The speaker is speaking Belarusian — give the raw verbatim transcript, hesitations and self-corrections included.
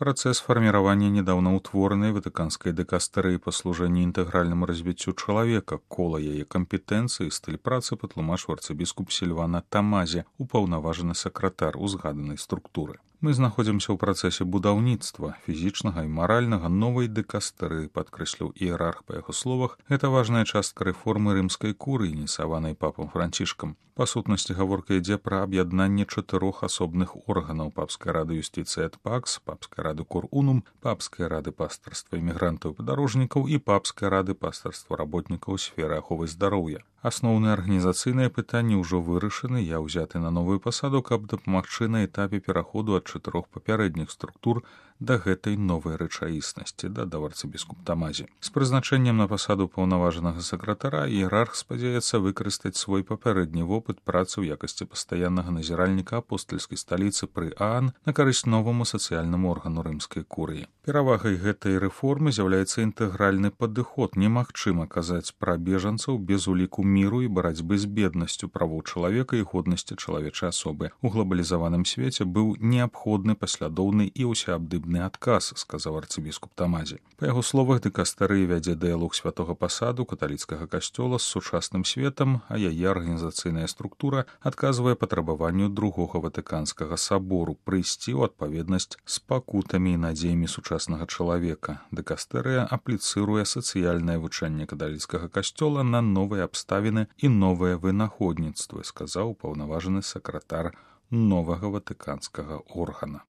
Процесс формирования недавно утворенной Ватиканской дикастерии по служению интегральному развитию человека, кола яе компетенции, стиль працы патлумачыў арцыбіскуп Сільвана Тамазе, упаўнаважаны сакратар узгаданай структуры. Мы знаходзімся ў працэсе будаўніцтва фізічнага і маральнага новай дыкастэрыі, падкрэсліў іерарх па яго словах. Гэта важная частка рэформы рымскай курыі, ініцыяванай папам Францішкам. Па сутнасці гаворка ідзе пра аб'яднанне чатырох асобных органаў: папскай рады юстыцыі эт пакс, папскай рады кор унум, папскай рады пастарства імігрантаў і падарожнікаў і папскай рады пастарства работнікаў сферы аховы здароўя. Асноўныя арганізацыйныя пытанні ўжо вырашаны. Я ўзяты на новую пасаду, каб дапамагчы на этапе пераходу ад чатырох папярэдніх структур да гэтай новай рэчаіснасці, дадаў арцыбіскуп Тамазе. З прызначэннем на пасаду паўнаважанага сакратара іерарх спадзяецца выкарыстаць свой папярэдні вопыт працы ў якасці пастаяннага назіральніка апостальскай сталіцы пры ААН на карысць новаму сацыяльнаму органу рымскай курыі. Перавагай гэтай рэформы з'яўляецца інтэгральны падыход. Немагчыма казаць пра бежанцаў без уліку міру і барацьбы з беднасцю, правоў чалавека і годнасці чалавечай асобы. У глобалізаваным свеце быў неабходны паслядоўны і ўсеабдыбны адказ, сказаў арцыбіскуп Тамазе. Па яго словах, дыкастэрыя вядзе дыялог святога пасаду каталіцкага касцёла з сучасным светам, а яе арганізацыйная структура адказвае патрабаванню другога ватыканскага сабору прыйсці ў адпаведнасць з пакутамі і надзеямі сучаснага чалавека. Дыкастэрыя апліцыруе сацыяльнае вучэнне каталіцкага касцёла на новыя абставіны і новыя вынаходніцтвы, сказаў паўнаважаны сакратар новага ватыканскага органа.